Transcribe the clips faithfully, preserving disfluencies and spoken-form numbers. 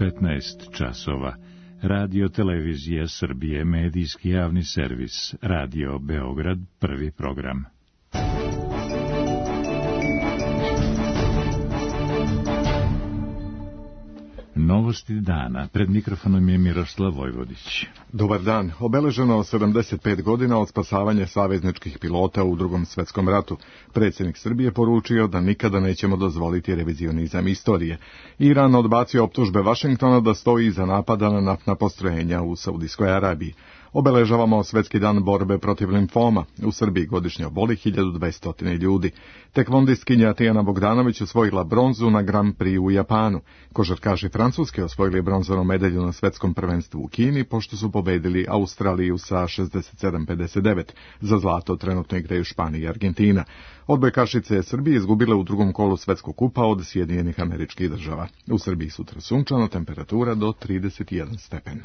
petnaest časova. Radio Televizija Srbije, medijski javni servis, Radio Beograd, prvi program. Novosti dana. Pred mikrofonom je Miroslav Vojvodić. Dobar dan. Obeleženo sedamdeset pet godina od spasavanja savezničkih pilota u Drugom svetskom ratu. Predsjednik Srbije poručio da nikada nećemo dozvoliti revizionizam istorije. Iran odbacio optužbe Vašingtona da stoji iza napada na naftna postrojenja u Saudijskoj Arabiji. Obeležavamo Svetski dan borbe protiv limfoma. U Srbiji godišnje oboli hiljadu dvesta ljudi. Tekvondistkinja Tijana Bogdanović osvojila bronzu na Grand Prix u Japanu. Košarkaši Francuske osvojili bronzanu medalju na svetskom prvenstvu u Kini, pošto su pobedili Australiju sa šezdeset sedam pedeset devet. Za zlato trenutno igraju Španija i Argentina. Odbojkašice Srbije izgubile u drugom kolu svetskog kupa od Sjedinjenih Američkih Država. U Srbiji sutra sunčano, temperatura do trideset jedan stepen.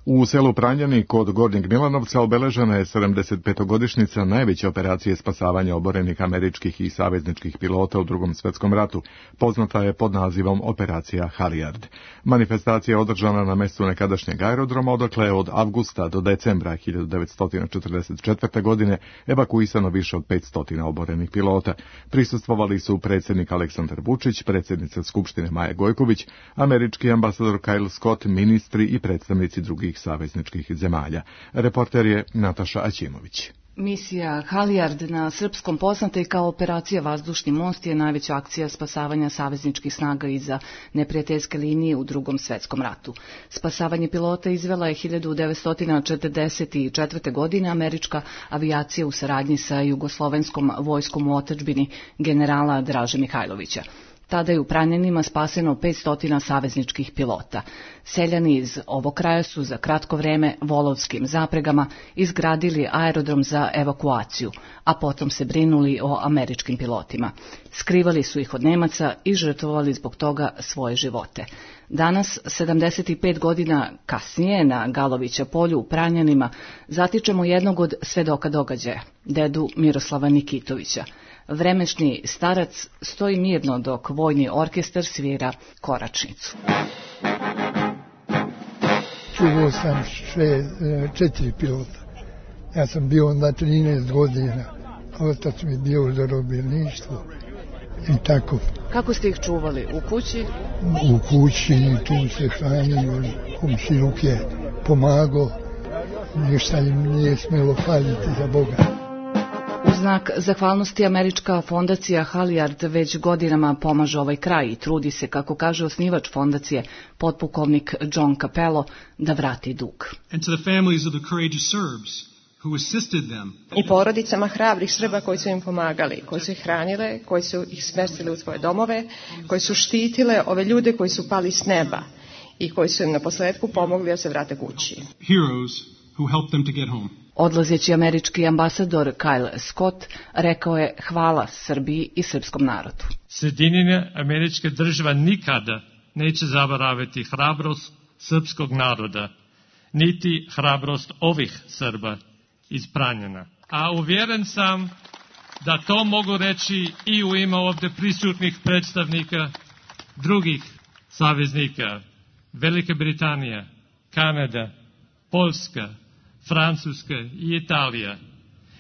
U selu Pranjani kod Gornjeg Milanovca obeležena je sedamdesetpetogodišnjica najveće operacije spasavanja oborenih američkih i savezničkih pilota u Drugom svetskom ratu. Poznata je pod nazivom Operacija Halijard. Manifestacija je održana na mjestu nekadašnjeg aerodroma, odakle je od avgusta do decembra hiljadu devetsto četrdeset četvrte. godine evakuisano više od petsto oborenih pilota. Prisustvovali su predsjednik Aleksandar Vučić, predsjednica Skupštine Maja Gojković, američki ambasador Kyle Scott, ministri i predstavnici drugih savezničkih zemalja. Reporter je Nataša Aćimović. Misija Halijard, na srpskom poznata i kao operacija Vazdušni most, je najveća akcija spasavanja savezničkih snaga iza neprijateljske linije u Drugom svetskom ratu. Spasavanje pilota izvela je hiljadu devetsto četrdeset četvrte. godine američka avijacija u saradnji sa jugoslovenskom vojskom u otadžbini generala Draže Mihajlovića. Tada je u Pranjanima spaseno petsto savezničkih pilota. Seljani iz ovog kraja su za kratko vreme volovskim zapregama izgradili aerodrom za evakuaciju, a potom se brinuli o američkim pilotima. Skrivali su ih od Nemaca i žrtvovali zbog toga svoje živote. Danas, sedamdeset pet godina kasnije, na Galovića polju u Pranjanima, zatičemo jednog od svedoka događaja, dedu Miroslava Nikitovića. Vremešni starac stoji mirno dok vojni orkestar svira koračnicu. Čuvao sam še, četiri pilota. Ja sam bio onda trinaest godina. Otac mi bio u zarobljeništvu i tako. Kako ste ih čuvali? U kući? U kući, tu se hranili, komšiluk je pomagao. Ništa im nije smjelo faliti, za Boga. U znak zahvalnosti američka fondacija Halijard već godinama pomaže ovaj kraj i trudi se, kako kaže osnivač fondacije, potpukovnik John Capello, da vrati dug. I porodicama hrabrih Srba koji su im pomagali, koji su ih hranile, koji su ih smestili u svoje domove, koji su štitile ove ljude koji su pali s neba i koji su im na posledku pomogli da se vrate kući. Heroes who helped them to get home. Odlazeći američki ambasador Kyle Scott rekao je hvala Srbiji i srpskom narodu. Sjedinjene Američke Države nikada neće zaboraviti hrabrost srpskog naroda, niti hrabrost ovih Srba iz Pranjana. A uvjeren sam da to mogu reći i u ime ovdje prisutnih predstavnika drugih saveznika, Velike Britanije, Kanada, Poljska, Francuska i Italija,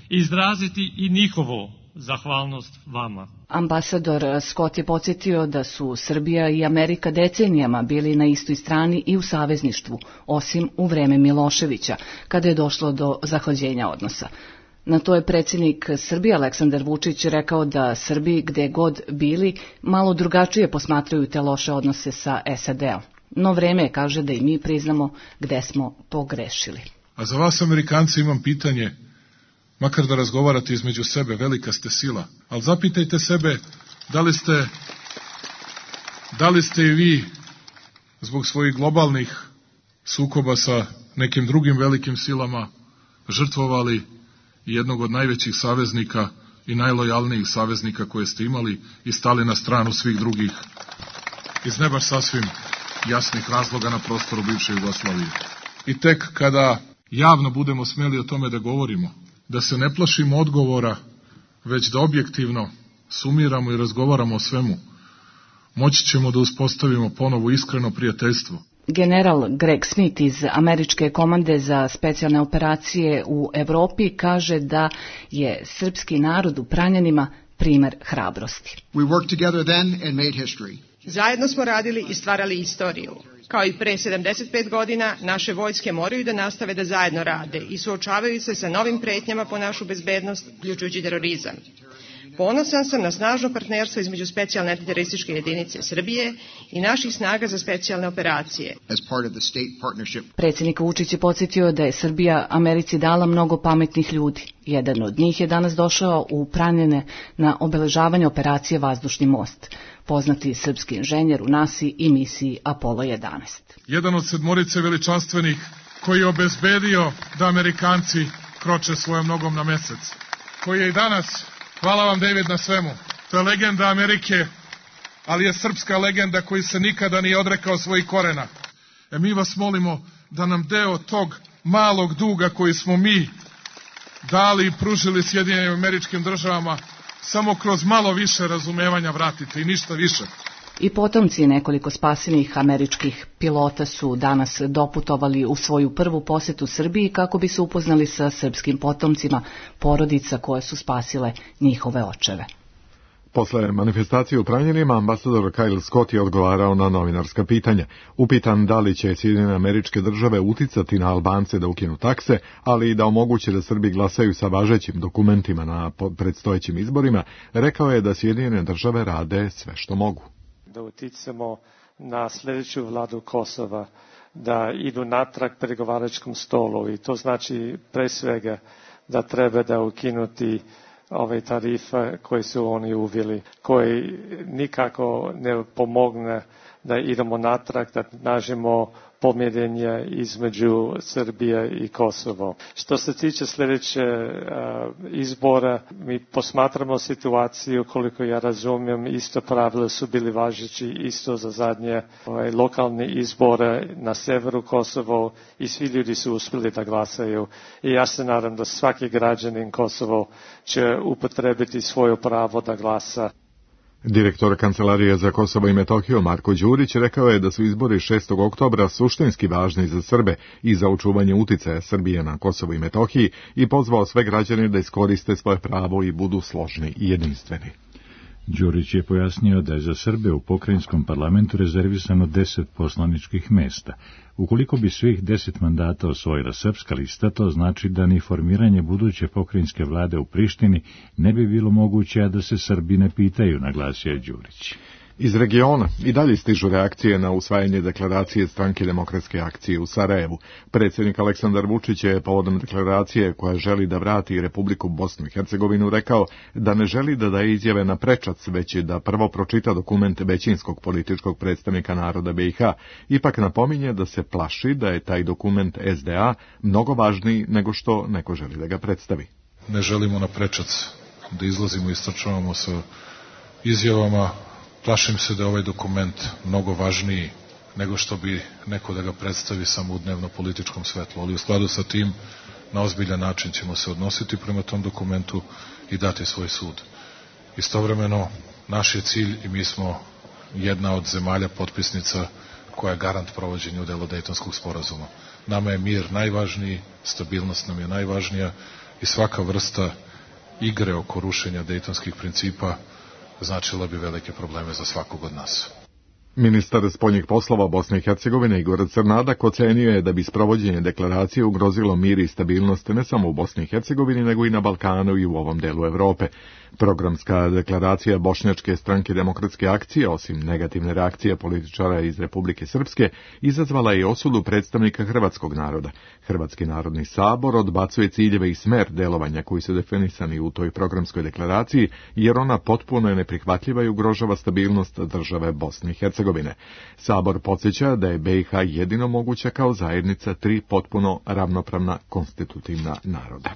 izraziti i njihovu zahvalnost vama. Ambasador Scott je podsjetio da su Srbija i Amerika decenijama bili na istoj strani i u savezništvu, osim u vreme Miloševića, kada je došlo do zahlađenja odnosa. Na to je predsjednik Srbije Aleksandar Vučić rekao da Srbi, gde god bili, malo drugačije posmatraju te loše odnose sa S A D-om. No vreme je, kaže, da i mi priznamo gde smo pogrešili. A za vas, Amerikanci, imam pitanje, makar da razgovarate između sebe, velika ste sila, ali zapitajte sebe da li ste, da li ste i vi zbog svojih globalnih sukoba sa nekim drugim velikim silama žrtvovali jednog od najvećih saveznika i najlojalnijih saveznika koje ste imali i stali na stranu svih drugih iz ne baš sasvim jasnih razloga na prostoru bivše Jugoslavije. I tek kada javno budemo smjeli o tome da govorimo, da se ne plašimo odgovora, već da objektivno sumiramo i razgovaramo o svemu, moći ćemo da uspostavimo ponovo iskreno prijateljstvo. General Greg Smith iz Američke komande za specijalne operacije u Evropi kaže da je srpski narod u Pranjanima primer hrabrosti. We worked together then and made history. Zajedno smo radili i stvarali istoriju. Kao i pre sedamdeset pet godina, naše vojske moraju da nastave da zajedno rade i suočavaju se sa novim pretnjama po našu bezbednost, uključujući terorizam. Ponosan sam na snažno partnerstvo između specijalne antiterorističke jedinice Srbije i naših snaga za specijalne operacije. Predsjednik Vučić je podsjetio da je Srbija Americi dala mnogo pametnih ljudi. Jedan od njih je danas došao u Pranjane na obeležavanje operacije Vazdušni most, poznati srpski inženjer u nasi i misiji Apollo jedanaest. Jedan od sedmorice veličanstvenih koji je obezbedio da Amerikanci kroče svojom nogom na mesec, koji je i danas. Hvala vam, David, na svemu. To je legenda Amerike, ali je srpska legenda koji se nikada nije odrekao svojih korena. E mi vas molimo da nam deo tog malog duga koji smo mi dali i pružili Sjedinjenim Američkim Državama samo kroz malo više razumevanja vratite i ništa više. I potomci nekoliko spasenih američkih pilota su danas doputovali u svoju prvu posetu Srbiji kako bi se upoznali sa srpskim potomcima porodica koje su spasile njihove očeve. Posle manifestacije u Pranjanima, ambasador Kyle Scott je odgovarao na novinarska pitanja. Upitan da li će Sjedinjene Američke Države uticati na Albance da ukinu takse, ali i da omoguće da Srbi glasaju sa važećim dokumentima na predstojećim izborima, rekao je da Sjedinjene Države rade sve što mogu. Da uticamo na sljedeću vladu Kosova, da idu natrag pregovaračkom stolu i to znači pre svega da treba da ukinuti ove tarife koje su oni uveli, koji nikako ne pomogne da idemo natrag, da nađemo pomirenje između Srbije i Kosovo. Što se tiče sljedeće uh, izbora, mi posmatramo situaciju, koliko ja razumijem, isto pravila su bili važeći isto za zadnje ovaj, lokalne izbore na severu Kosovo i svi ljudi su uspjeli da glasaju. I ja se nadam da svaki građanin Kosovo će upotrebiti svoje pravo da glasa. Direktor Kancelarije za Kosovo i Metohiju Marko Đurić rekao je da su izbori šestog oktobra suštinski važni za Srbe i za očuvanje uticaja Srbije na Kosovo i Metohiji i pozvao sve građane da iskoriste svoje pravo i budu složni i jedinstveni. Đurić je pojasnio da je za Srbe u pokrajinskom parlamentu rezervisano deset poslaničkih mesta. Ukoliko bi svih deset mandata osvojila srpska lista, to znači da ni formiranje buduće pokrajinske vlade u Prištini ne bi bilo moguće, a da se Srbi ne pitaju, naglasio je Đurić. Iz regiona i dalje stižu reakcije na usvajanje deklaracije Stranke demokratske akcije u Sarajevu. Predsjednik Aleksandar Vučić je povodom deklaracije koja želi da vrati Republiku Bosnu i Hercegovinu rekao da ne želi da daje izjave na prečac, već da prvo pročita dokument većinskog političkog predstavnika naroda B i H. Ipak napominje da se plaši da je taj dokument S D A mnogo važniji nego što neko želi da ga predstavi. Ne želimo na prečac da izlazimo i istrčavamo sa izjavama. Plašim se da je ovaj dokument mnogo važniji nego što bi neko da ga predstavi samo u dnevno političkom svetlu, ali u skladu sa tim na ozbiljan način ćemo se odnositi prema tom dokumentu i dati svoj sud. Istovremeno, naš je cilj i mi smo jedna od zemalja potpisnica koja je garant provođenja u delu Dejtonskog sporazuma. Nama je mir najvažniji, stabilnost nam je najvažnija i svaka vrsta igre oko rušenja Dejtonskih principa značila bi velike probleme za svakog od nas. Ministar spoljnih poslova Bosne i Hercegovine Igor Crnadak ocenio je da bi sprovođenje deklaracije ugrozilo mir i stabilnost ne samo u Bosni i Hercegovini, nego i na Balkanu i u ovom delu Evrope. Programska deklaracija Bošnjačke stranke demokratske akcije, osim negativne reakcije političara iz Republike Srpske, izazvala je osudu predstavnika hrvatskog naroda. Hrvatski narodni sabor odbacuje ciljeve i smer delovanja koji su definisani u toj programskoj deklaraciji, jer ona potpuno je neprihvatljiva i ugrožava stabilnost države Bosne i Hercegovine. Sabor podsjeća da je B i H jedino moguća kao zajednica tri potpuno ravnopravna konstitutivna naroda.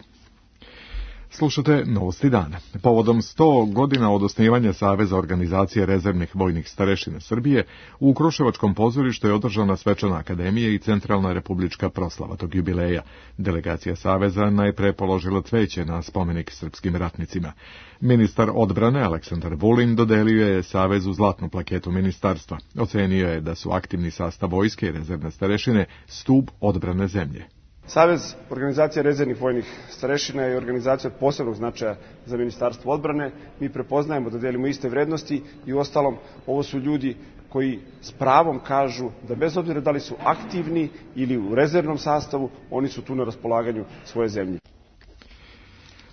Slušate Novosti dana. Povodom sto godina od osnivanja Saveza organizacije rezervnih vojnih starešina Srbije, u Kruševačkom pozorištu je održana svečana akademija i centralna republička proslava tog jubileja. Delegacija Saveza najpre položila cveće na spomenik srpskim ratnicima. Ministar odbrane Aleksandar Vulin dodelio je Savezu zlatnu plaketu ministarstva. Ocenio je da su aktivni sastav vojske i rezervne starešine stub odbrane zemlje. Savez organizacija rezervnih vojnih starešina je organizacija od posebnog značaja za Ministarstvo odbrane. Mi prepoznajemo da delimo iste vrednosti i uostalom ovo su ljudi koji s pravom kažu da bez obzira da li su aktivni ili u rezervnom sastavu, oni su tu na raspolaganju svoje zemlje.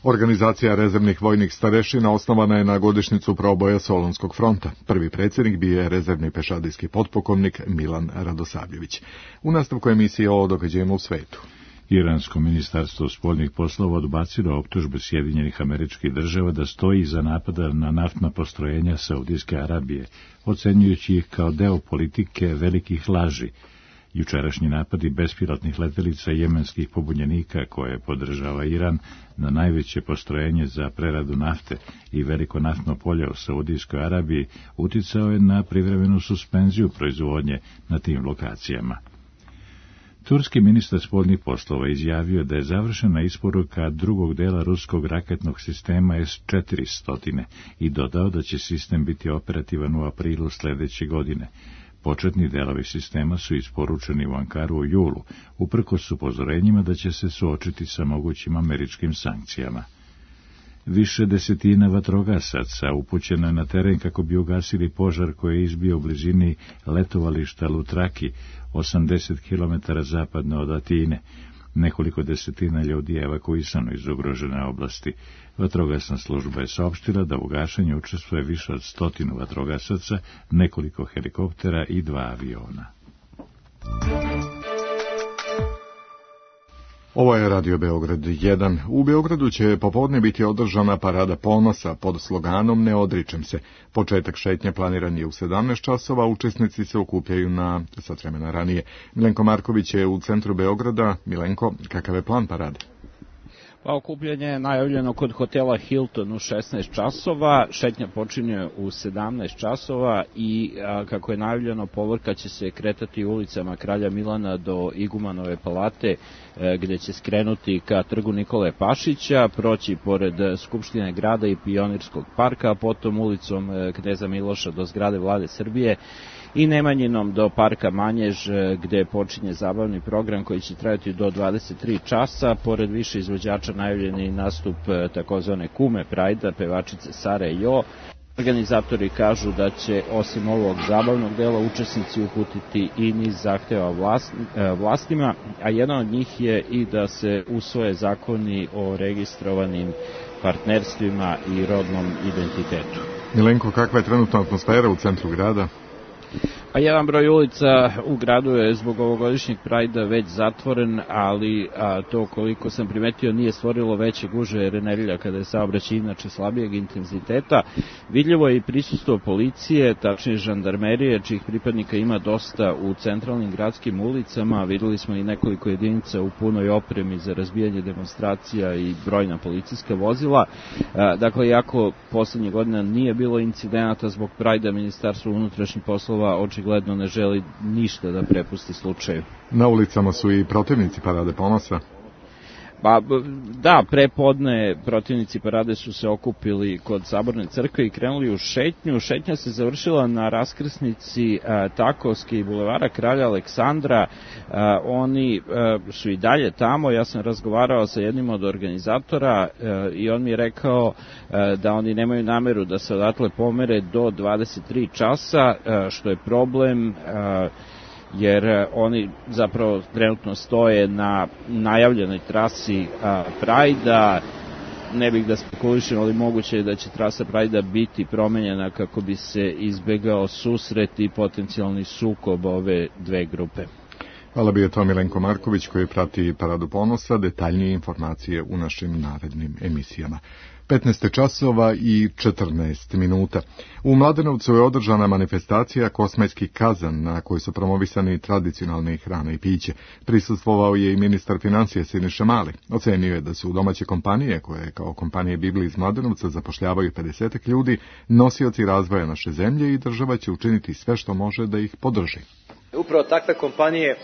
Organizacija rezervnih vojnih starešina osnovana je na godišnjicu proboja Solunskog fronta. Prvi predsjednik bio je rezervni pešadijski potpukovnik Milan Radosavljević. U nastavku emisije o događajima u svetu. Iransko ministarstvo spoljnih poslova odbacilo optužbe Sjedinjenih Američkih Država da stoji iza napada na naftna postrojenja Saudijske Arabije, ocenjujući ih kao deo politike velikih laži. Jučerašnji napadi bespilotnih letelica jemenskih pobunjenika koje podržava Iran na najveće postrojenje za preradu nafte i veliko naftno polje u Saudijskoj Arabiji uticao je na privremenu suspenziju proizvodnje na tim lokacijama. Turski ministar spoljnih poslova izjavio da je završena isporuka drugog dela ruskog raketnog sistema S četiristo i dodao da će sistem biti operativan u aprilu sljedeće godine. Početni delovi sistema su isporučeni u Ankaru u julu, uprkos upozorenjima da će se suočiti sa mogućim američkim sankcijama. Više desetina vatrogasaca upućeno je na teren kako bi ugasili požar koji je izbio u blizini letovališta Lutraki, osamdeset kilometara zapadno od Atine. Nekoliko desetina ljudi je evakuisano iz ugrožene oblasti. Vatrogasna služba je saopštila da u gašenju učestvuje više od stotinu vatrogasaca, nekoliko helikoptera i dva aviona. Ovo je Radio Beograd jedan. U Beogradu će popodne biti održana parada ponosa pod sloganom Ne odričem se. Početak šetnje planiran je u sedamnaest časova, učesnici se okupljaju na sat vremena ranije. Milenko Marković je u centru Beograda. Milenko, kakav je plan parade? Pa okupljanje je najavljeno kod hotela Hilton u šesnaest časova, šetnja počinje u sedamnaest časova i a, kako je najavljeno povorka će se kretati ulicama Kralja Milana do Igumanove palate e, gdje će skrenuti ka trgu Nikole Pašića, proći pored Skupštine grada i Pionirskog parka, a potom ulicom e, Kneza Miloša do zgrade Vlade Srbije i Nemanjinom do parka Manjež gdje počinje zabavni program koji će trajati do dvadeset tri časa. Pored više izvođača najavljeni nastup takozvane Kume Prajda, pevačice Sare Jo. Organizatori kažu da će osim ovog zabavnog dela učesnici uputiti i niz zahteva vlast, vlastima, a jedan od njih je i da se usvoje zakoni o registrovanim partnerstvima i rodnom identitetu. Milenko, kakva je trenutna atmosfera u centru grada? Pa jedan broj ulica u gradu je zbog ovogodišnjeg Prajda već zatvoren, ali a, to koliko sam primetio nije stvorilo veće gužve jer je nedelja kada je saobraćaj inače slabijeg intenziteta. Vidljivo je i prisustvo policije, tačnije žandarmerije, čijih pripadnika ima dosta u centralnim gradskim ulicama. Vidjeli smo i nekoliko jedinica u punoj opremi za razbijanje demonstracija i brojna policijska vozila. A, dakle, iako poslednje godina nije bilo incidenata zbog Prajda, Ministarstvo unutrašnjih poslova očigledno ne želi ništa da prepusti slučaju. Na ulicama su i protivnici parade ponosa. Pa da, prepodne protivnici parade su se okupili kod Saborne crkve i krenuli u šetnju. Šetnja se završila na raskrsnici a, Takovske i bulevara Kralja Aleksandra. A, oni a, su i dalje tamo. Ja sam razgovarao sa jednim od organizatora a, i on mi je rekao a, da oni nemaju nameru da se odatle pomere do dvadeset tri časa, a, što je problem a, jer oni zapravo trenutno stoje na najavljenoj trasi Prajda. Ne bih da spekulišem, ali moguće je da će trasa Prajda biti promenjena kako bi se izbegao susret i potencijalni sukob ove dve grupe. Hvala bio to Milenko Marković koji prati Paradu ponosa, detaljnije informacije u našim narednim emisijama. petnaest časova i četrnaest minuta. U Mladenovcu je održana manifestacija Kosmajski kazan na kojoj su promovisani tradicionalne hrane i piće. Prisustvovao je i ministar financija Siniša Mali. Ocenio je da su domaće kompanije, koje kao kompanije Bibli iz Mladenovca zapošljavaju pedeset ljudi, nosioci razvoja naše zemlje i država će učiniti sve što može da ih podrži. Upravo takve kompanije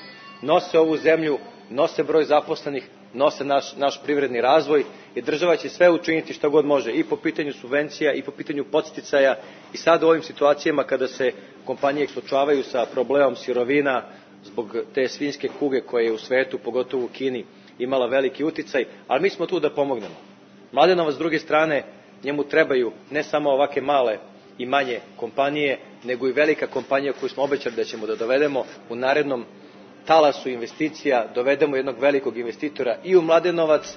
nose ovu zemlju, nose broj zaposlenih, nose naš, naš privredni razvoj i država će sve učiniti što god može i po pitanju subvencija i po pitanju podsticaja i sad u ovim situacijama kada se kompanije suočavaju sa problemom sirovina zbog te svinjske kuge koja je u svetu, pogotovo u Kini, imala veliki uticaj, ali mi smo tu da pomognemo. Mladenovac s druge strane, njemu trebaju ne samo ovake male i manje kompanije, nego i velika kompanija koju smo obećali da ćemo da dovedemo u narednom talasu investicija, dovedemo jednog velikog investitora i u Mladenovac.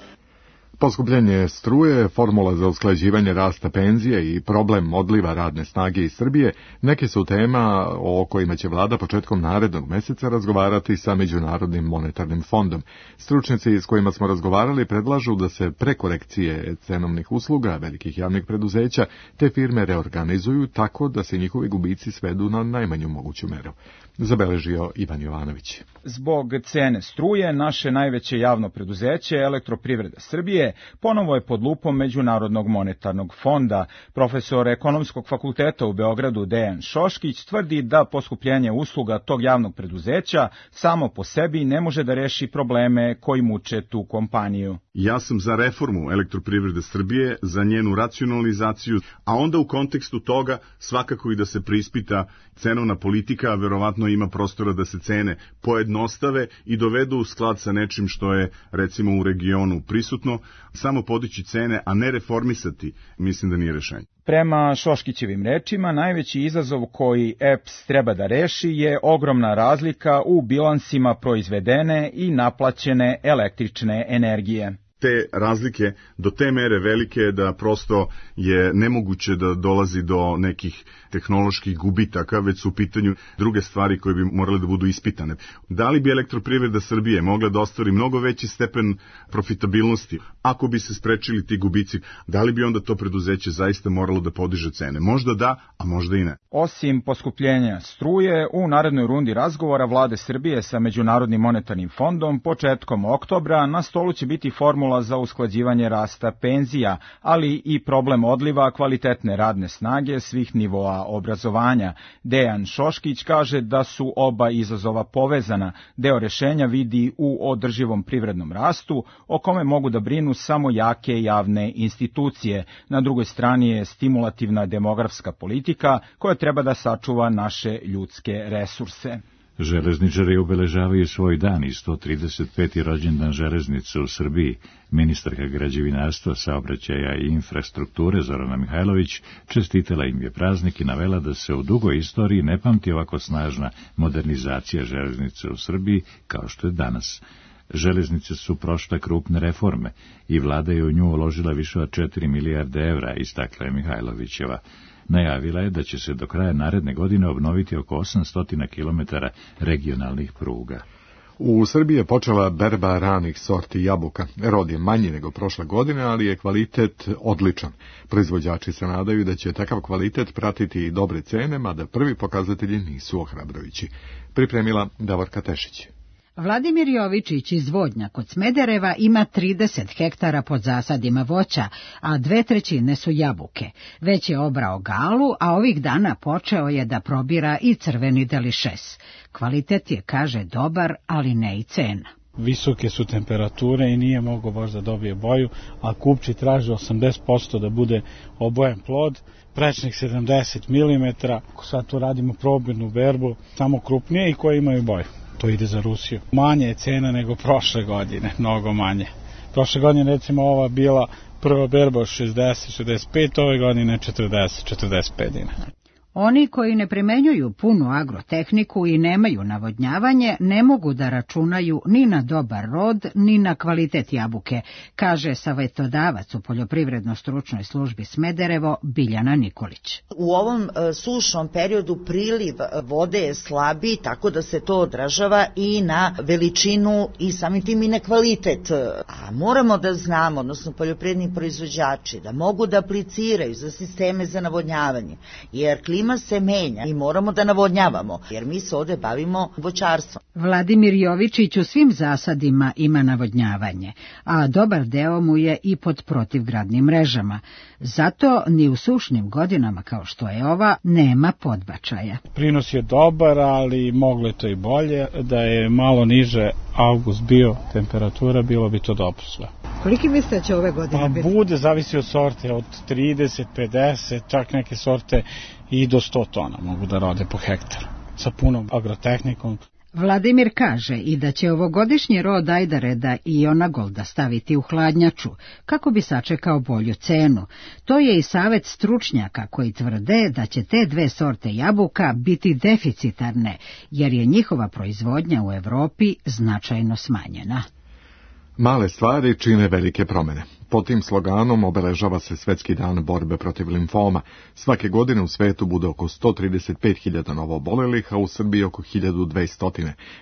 Poskupljenje struje, formula za usklađivanje rasta penzije i problem odliva radne snage iz Srbije neke su tema o kojima će vlada početkom narednog meseca razgovarati sa Međunarodnim monetarnim fondom. Stručnjaci s kojima smo razgovarali predlažu da se prekorekcije cenovnih usluga velikih javnih preduzeća te firme reorganizuju tako da se njihovi gubici svedu na najmanju moguću meru. Zabeležio Ivan Jovanović. Zbog cene struje, naše najveće javno preduzeće, Elektroprivreda Srbije, ponovo je pod lupom Međunarodnog monetarnog fonda. Profesor Ekonomskog fakulteta u Beogradu Dejan Šoškić tvrdi da poskupljenje usluga tog javnog preduzeća samo po sebi ne može da reši probleme koji muče tu kompaniju. Ja sam za reformu Elektroprivrede Srbije, za njenu racionalizaciju, a onda u kontekstu toga svakako i da se preispita cenovna politika, a verovatno ima prostora da se cene pojednostave i dovedu u sklad sa nečim što je recimo u regionu prisutno. Samo podići cene, a ne reformisati, mislim da nije rešenje. Prema Šoškićevim rečima, najveći izazov koji E P S treba da reši je ogromna razlika u bilansima proizvedene i naplaćene električne energije. Te razlike do te mere velike da prosto je nemoguće da dolazi do nekih tehnoloških gubitaka, već su u pitanju druge stvari koje bi morale da budu ispitane. Da li bi Elektroprivreda Srbije mogla da ostvari mnogo veći stepen profitabilnosti ako bi se sprečili ti gubici? Da li bi onda to preduzeće zaista moralo da podiže cene? Možda da, a možda i ne. Osim poskupljenja struje, u narednoj rundi razgovora vlade Srbije sa Međunarodnim monetarnim fondom početkom oktobra na stolu će biti formula za usklađivanje rasta penzija, ali i problem odliva kvalitetne radne snage svih nivoa obrazovanja. Dejan Šoškić kaže da su oba izazova povezana. Deo rešenja vidi u održivom privrednom rastu, o kome mogu da brinu samo jake javne institucije. Na drugoj strani je stimulativna demografska politika koja treba da sačuva naše ljudske resurse. Železničari obeležavaju svoj dan i sto trideset peti rođendan železnice u Srbiji. Ministarka građevinarstva, saobraćaja i infrastrukture Zorana Mihajlović čestitala im je praznik i navela da se u dugoj istoriji ne pamti ovako snažna modernizacija železnice u Srbiji kao što je danas. Železnice su prošle krupne reforme i vlada je u nju uložila više od četiri milijarde evra, istakla je Mihajlovićeva. Najavila je da će se do kraja naredne godine obnoviti oko osamsto kilometara regionalnih pruga. U Srbiji je počela berba ranih sorti jabuka. Rod je manji nego prošle godine, ali je kvalitet odličan. Proizvođači se nadaju da će takav kvalitet pratiti i dobre cene, mada prvi pokazatelji nisu ohrabrujući. Pripremila Davorka Tešić. Vladimir Jovičić iz Vodnja kod Smedereva ima trideset hektara pod zasadima voća, a dve trećine su jabuke. Već je obrao galu, a ovih dana počeo je da probira i crveni delišes. Kvalitet je, kaže, dobar, ali ne i cena. Visoke su temperature i nije mogao baš da dobije boju, a kupci traže osamdeset posto da bude obojen plod, prečnik sedamdeset milimetara. Sad tu radimo probirnu berbu, samo krupnije i koje imaju boju. To ide za Rusiju. Manje je cena nego prošle godine, mnogo manje. Prošle godine recimo ova bila prva berba šezdeset šezdeset pet, ove godine četrdeset četrdeset pet dinara. Oni koji ne primenjuju punu agrotehniku i nemaju navodnjavanje ne mogu da računaju ni na dobar rod, ni na kvalitet jabuke, kaže savetodavac u Poljoprivredno-stručnoj službi Smederevo Biljana Nikolić. U ovom sušnom periodu priliv vode je slabiji, tako da se to odražava i na veličinu i samim tim i na kvalitet. A moramo da znamo, odnosno poljoprivredni proizvođači, da mogu da apliciraju za sisteme za navodnjavanje, jer klima se menja i moramo da navodnjavamo, jer mi se ovde bavimo voćarstvom. Vladimir Jovičić u svim zasadima ima navodnjavanje, a dobar deo mu je i pod protivgradnim mrežama. Zato ni u sušnim godinama kao što je ova nema podbačaja. Prinos je dobar, ali moglo je to i bolje. Da je malo niže avgust bio temperatura, bilo bi to dobro sve. Koliki mislite da će ove godine pa biti? Bude, zavisi od sorte, od trideset, pedeset, čak neke sorte i do sto tona mogu da rode po hektaru sa punom agrotehnikom. Vladimir kaže i da će ovogodišnji rod ajdareda i Onagolda staviti u hladnjaču, kako bi sačekao bolju cenu. To je i savet stručnjaka koji tvrde da će te dve sorte jabuka biti deficitarne, jer je njihova proizvodnja u Evropi značajno smanjena. Male stvari čine velike promene. Pod tim sloganom obeležava se Svetski dan borbe protiv limfoma. Svake godine u svetu bude oko sto trideset pet hiljada novoobolelih, a u Srbiji oko hiljadu dvesta,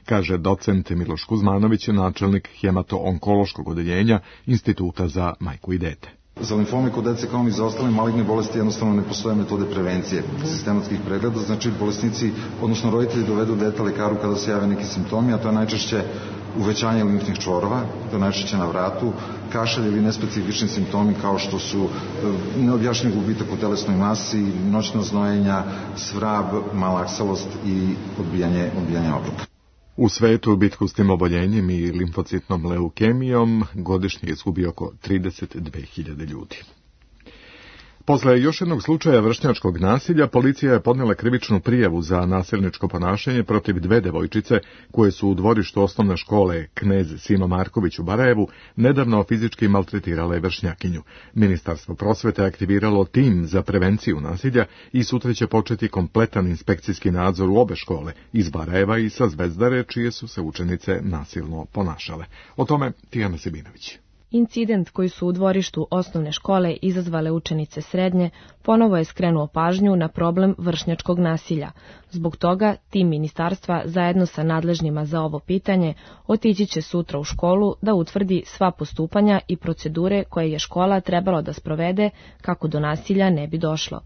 kaže docent Miloš Kuzmanović, načelnik hemato-onkološkog odeljenja Instituta za majku i dete. Za limfome kod dece kao i za ostale maligne bolesti jednostavno ne postoje metode prevencije sistematskih pregleda, znači bolesnici, odnosno roditelji dovedu dete lekaru kada se jave neki simptomi, a to je najčešće uvećanje limfnih čvorova, to je najčešće na vratu, kašalj ili nespecifični simptomi kao što su neobjašnjiv gubitak u telesnoj masi, noćna znojenja, svrab, malaksalost i odbijanje, odbijanje obroka. U svetu bitku s tim oboljenjem i limfocitnom leukemijom godišnje izgubi oko trideset dve hiljade ljudi. Posle još jednog slučaja vršnjačkog nasilja, policija je podnela krivičnu prijavu za nasilničko ponašanje protiv dve devojčice koje su u dvorištu osnovne škole Knez Simo Marković u Barajevu nedavno fizički maltretirale vršnjakinju. Ministarstvo prosvete aktiviralo tim za prevenciju nasilja i sutra će početi kompletan inspekcijski nadzor u obe škole, iz Barajeva i sa Zvezdare, čije su se učenice nasilno ponašale. O tome Tijana Sebinović. Incident koji su u dvorištu osnovne škole izazvale učenice srednje ponovo je skrenuo pažnju na problem vršnjačkog nasilja. Zbog toga tim ministarstva zajedno sa nadležnima za ovo pitanje otići će sutra u školu da utvrdi sva postupanja i procedure koje je škola trebalo da sprovede kako do nasilja ne bi došlo.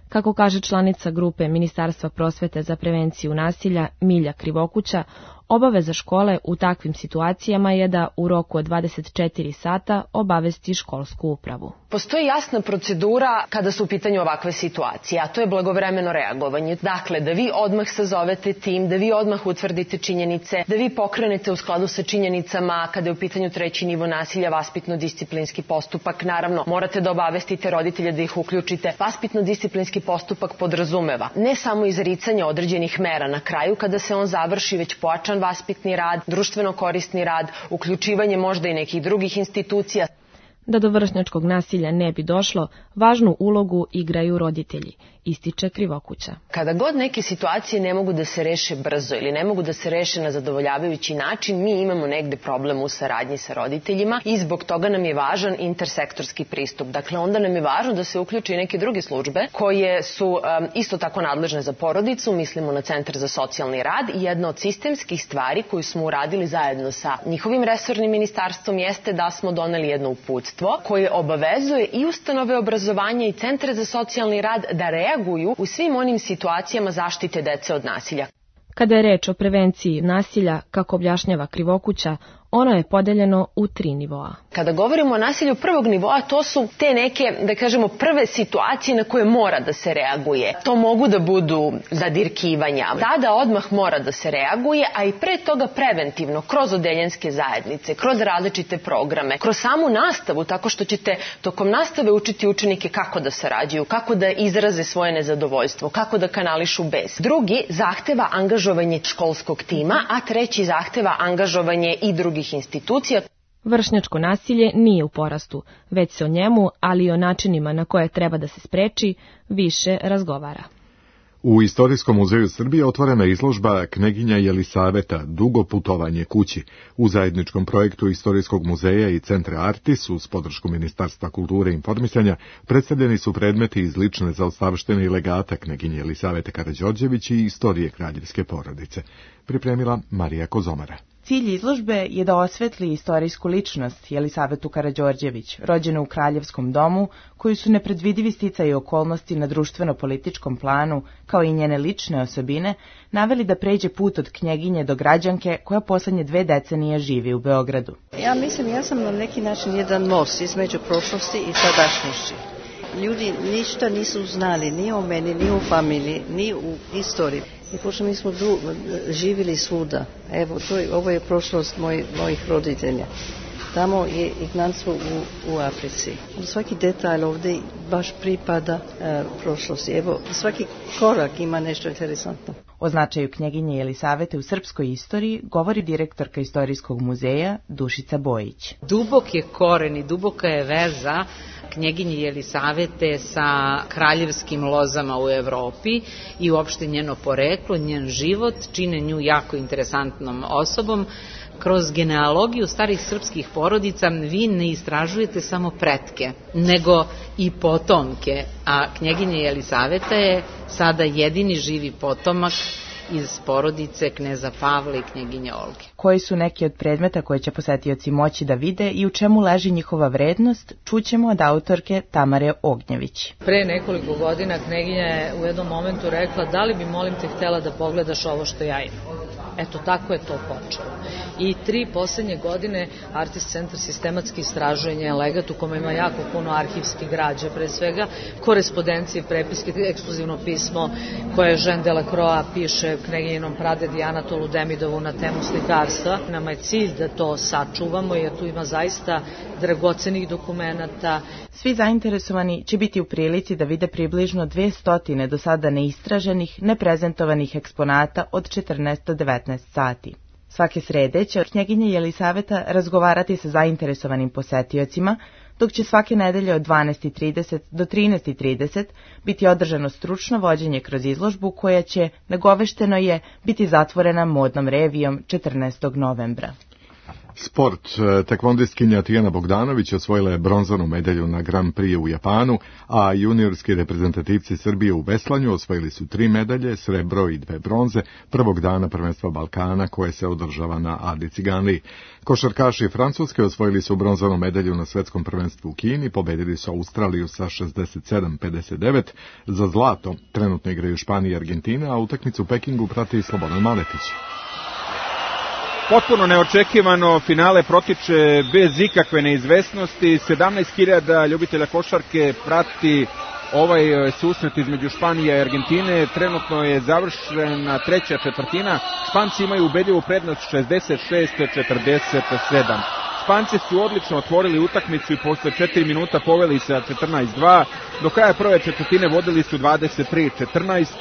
Kako kaže članica grupe Ministarstva prosvete za prevenciju nasilja Milja Krivokuća, obaveza škole u takvim situacijama je da u roku od dvadeset četiri sata obavesti školsku upravu. Postoji jasna procedura kada su u pitanju ovakve situacije, a to je blagovremeno reagovanje. Dakle, da vi odmah sazovete tim, da vi odmah utvrdite činjenice, da vi pokrenete u skladu sa činjenicama kada je u pitanju treći nivo nasilja vaspitno-disciplinski postupak. Naravno, morate da obavestite roditelje da ih uključite. Vaspitno-disciplinski postupak podrazumeva ne samo izricanje određenih mera na kraju kada se on završi, već pojačan vaspitni rad, društveno korisni rad, uključivanje možda i nekih drugih institucija. Da do vršnjačkog nasilja ne bi došlo, važnu ulogu igraju roditelji, ističe Krivokuća. Kada god neke situacije ne mogu da se reše brzo ili ne mogu da se reše na zadovoljavajući način, mi imamo negde problem u saradnji sa roditeljima i zbog toga nam je važan intersektorski pristup. Dakle, onda nam je važno da se uključi i neke druge službe koje su um, isto tako nadležne za porodicu, mislimo na Centar za socijalni rad, i jedna od sistemskih stvari koju smo uradili zajedno sa njihovim resornim ministarstvom jeste da smo doneli jedno uputstvo koje obavezuje i ustanove obrazovanja i centre za socijalni rad da reaguju u svim onim situacijama zaštite dece od nasilja. Kada je reč o prevenciji nasilja, kako objašnjava Krivokuća, ono je podeljeno u tri nivoa. Kada govorimo o nasilju prvog nivoa, to su te neke, da kažemo, prve situacije na koje mora da se reaguje. To mogu da budu zadirkivanja. Tada odmah mora da se reaguje, a i pre toga preventivno, kroz odeljenske zajednice, kroz različite programe, kroz samu nastavu, tako što ćete tokom nastave učiti učenike kako da sarađuju, kako da izraze svoje nezadovoljstvo, kako da kanališu bes. Drugi zahteva angažovanje školskog tima, a treći zahteva angažovanje i drugih institucija. Vršnjačko nasilje nije u porastu, već se o njemu, ali i o načinima na koje treba da se spreči, više razgovara. U Istorijskom muzeju Srbije otvorena izložba Kneginja Jelisaveta, dugo putovanje kući. U zajedničkom projektu Istorijskog muzeja i Centra Artis uz podršku Ministarstva kulture i informisanja predstavljeni su predmeti iz lične zaostavštine i legata Kneginje Jelisavete Karađorđević i istorije kraljevske porodice. Pripremila Marija Kozomara. Cilj izložbe je da osvetli istorijsku ličnost Jelisavetu Karađorđević, rođenu u kraljevskom domu, koju su nepredvidivi sticaji okolnosti na društveno-političkom planu, kao i njene lične osobine, naveli da pređe put od knjeginje do građanke koja poslednje dve decenije živi u Beogradu. Ja mislim, ja sam na neki način jedan most između prošlosti i sadašnjosti. Ljudi ništa nisu znali, ni o meni, ni o familiji, ni u istoriji. I pošto mi smo du, živjeli svuda, evo, to je, ovo je prošlost moj, mojih roditelja. Tamo je ignanstvo u, u Africi. Svaki detalj ovdje baš pripada e, prošlosti. Evo, svaki korak ima nešto interesantno. O značaju knjeginje Jelisavete u srpskoj istoriji govori direktorka Istorijskog muzeja Dušica Bojić. Dubok je koren i duboka je veza knjeginje Jelisavete sa kraljevskim lozama u Evropi i uopšte njeno poreklo, njen život čine nju jako interesantnom osobom. Kroz genealogiju starih srpskih porodica vi ne istražujete samo pretke, nego i potomke, a knjeginja Jelisaveta je sada jedini živi potomak iz porodice kneza Pavla i knjeginje Olge. Koji su neki od predmeta koje će posetioci moći da vide i u čemu leži njihova vrednost, čućemo od autorke Tamare Ognjević. Pre nekoliko godina knjeginja je u jednom momentu rekla: da li bi, molim te, htjela da pogledaš ovo što ja imam. Eto, tako je to počelo. I tri poslednje godine Artis centar sistematski istražuje njen legat u kome ima jako puno arhivske građe, pre svega korespondencije, prepiske, ekskluzivno pismo koje Jean Delacroix piše knjeginjinom pradedi Anatolu Demidovu na temu slikarstva. Nama je cilj da to sačuvamo jer tu ima zaista dragocenih dokumenata. Svi zainteresovani će biti u prilici da vide približno dvesta do sada neistraženih, neprezentovanih eksponata od četrnaest do devetnaest sati. Svake srede će knjeginja Jelisaveta razgovarati sa zainteresovanim posetiocima, dok će svake nedelje od dvanaest i trideset do trinaest i trideset biti održano stručno vođenje kroz izložbu koja će, nagovešteno je, biti zatvorena modnom revijom četrnaestog novembra. Sport. Tekvondistkinja Tijana Bogdanović osvojila je bronzanu medalju na Grand Prix u Japanu, a juniorski reprezentativci Srbije u veslanju osvojili su tri medalje, srebro i dve bronze, prvog dana prvenstva Balkana koje se održava na Adi Ciganliji. Košarkaši Francuske osvojili su bronzanu medalju na svetskom prvenstvu u Kini, pobedili su Australiju sa šezdeset sedam pedeset devet. Za zlato trenutno igraju Španija i Argentina, a utakmicu u Pekingu prati Slobodan Maletić. Potpuno neočekivano finale protiče bez ikakve neizvesnosti. sedamnaest hiljada ljubitelja košarke prati ovaj susret između Španije i Argentine. Trenutno je završena treća četvrtina. Španci imaju ubedljivu prednost šezdeset šest četrdeset sedam. Španci su odlično otvorili utakmicu i posle četiri minuta poveli sa četrnaest dva. Do kraja prve četvrtine vodili su dvadeset tri četrnaest.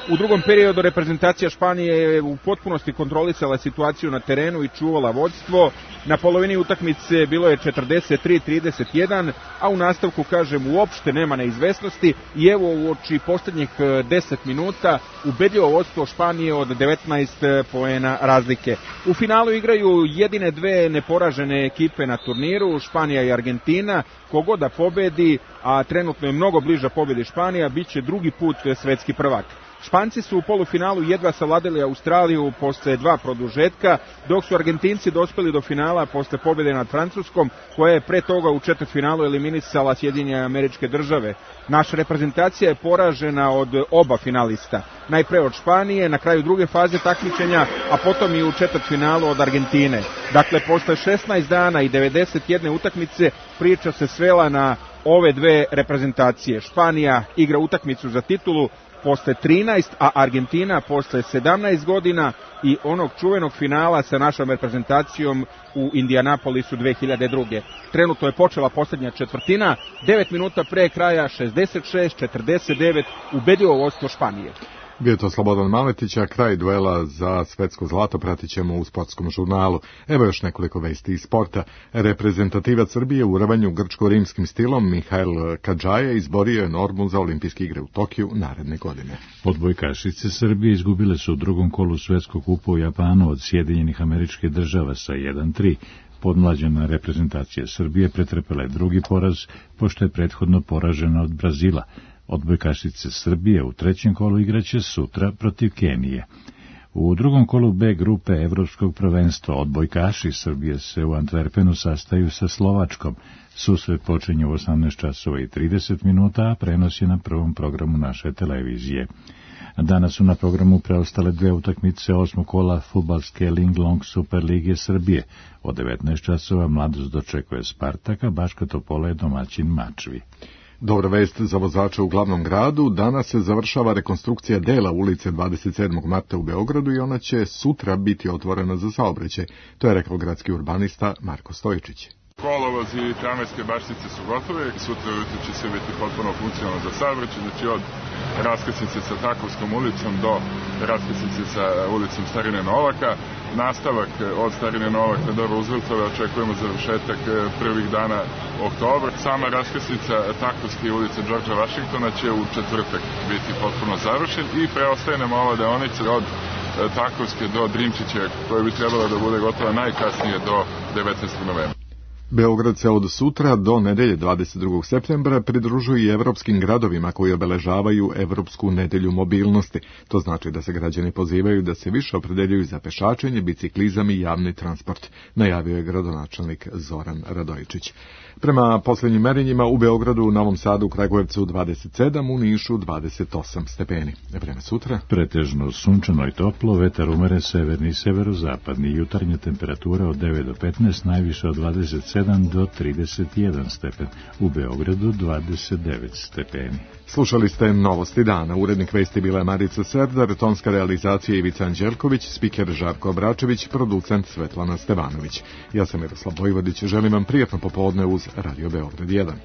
U drugom periodu reprezentacija Španije je u potpunosti kontrolisala situaciju na terenu i čuvala vodstvo. Na polovini utakmice bilo je četrdeset tri trideset jedan, a u nastavku, kažem, uopšte nema neizvesnosti i evo uoči poslednjih deset minuta ubedljivo vodstvo Španije od devetnaest poena razlike. U finalu igraju jedine dve neporažene ekipe na turniru, Španija i Argentina. Kogod da pobedi, a trenutno je mnogo bliža pobedi Španija, bit će drugi put svetski prvak. Španci su u polufinalu jedva savladali Australiju posle dva produžetka, dok su Argentinci dospeli do finala posle pobjede nad Francuskom, koja je pre toga u četvrtfinalu eliminisala Sjedinjene Američke Države. Naša reprezentacija je poražena od oba finalista. Najpre od Španije, na kraju druge faze takmičenja, a potom i u četvrtfinalu od Argentine. Dakle, posle šesnaest dana i devedeset jedne utakmice priča se svela na ove dve reprezentacije. Španija igra utakmicu za titulu posle trinaest, a Argentina posle sedamnaest godina i onog čuvenog finala sa našom reprezentacijom u Indianapolisu dve hiljade druge. Trenutno je počela posljednja četvrtina, devet minuta pre kraja šezdeset šest četrdeset devet ubedljivo vodstvo Španije. Bio to Slobodan Maletić, a kraj duela za svetsko zlato pratit ćemo u sportskom žurnalu. Evo još nekoliko vesti iz sporta. Reprezentativac Srbije u rvanju grčko-rimskim stilom Mihail Kadžaja izborio je normu za olimpijske igre u Tokiju naredne godine. Odbojkašice Srbije izgubile su u drugom kolu svetskog kupa u Japanu od Sjedinjenih Američkih Država sa jedan tri. Podmlađena reprezentacija Srbije pretrpela je drugi poraz, pošto je prethodno poražena od Brazila. Odbojkašice Srbije u trećem kolu igraće sutra protiv Kenije. U drugom kolu B grupe Evropskog prvenstva odbojkaši Srbije se u Antwerpenu sastaju sa Slovačkom. Susret počinje u osamnaest časova i trideset minuta, a prenos je na prvom programu naše televizije. Danas su na programu preostale dve utakmice osmog kola fudbalske Linglong Super Lige Srbije. Od devetnaest časova Mladost dočekuje Spartaka, Baška Topola je domaćin Mačvi. Dobra vest za vozače u glavnom gradu, danas se završava rekonstrukcija dela ulice dvadeset sedmog marta u Beogradu i ona će sutra biti otvorena za saobraćaj. To je rekao gradski urbanista Marko Stojičić. Kolovoz i tramvajske baštice su gotove, sutra ujutro će sve biti potpuno funkcionalno za saobraćaj, znači od raskrsnice sa Takovskom ulicom do raskrsnice sa ulicom Starine Novaka. Nastavak od Starine Novaka do Rooseveltove očekujemo završetak prvih dana oktobra. Sama raskrsnica Takovske ulice Đorđa Vašingtona će u četvrtak biti potpuno završen i preostaje nam ova deonica od Takovske do Drimčića koja bi trebala da bude gotova najkasnije do devetnaestog novembra. Beograd se od sutra do nedelje dvadeset drugog septembra pridružuje i evropskim gradovima koji obeležavaju Evropsku nedelju mobilnosti. To znači da se građani pozivaju da se više opredeljuju za pešačenje, biciklizam i javni transport, najavio je gradonačelnik Zoran Radojičić. Prema posljednjim merenjima u Beogradu, u Novom Sadu, Kragujevcu dvadeset sedam, u Nišu dvadeset osam stepeni. Vreme sutra. Pretežno sunčano i toplo, vetar umere severni i severozapadni, jutarnja temperatura od devet do petnaest, najviše od dvadeset sedam do trideset jedan stepen, u Beogradu dvadeset devet stepeni. Slušali ste Novosti dana. Urednik vesti bila je Marica Serdar, tonska realizacija Ivica Anđelković, spiker Žarko Obračević, producent Svetlana Stevanović. Ja sam Miroslav Vojvodić, želim vam prijatno popodne uz Radio Beograd jedan.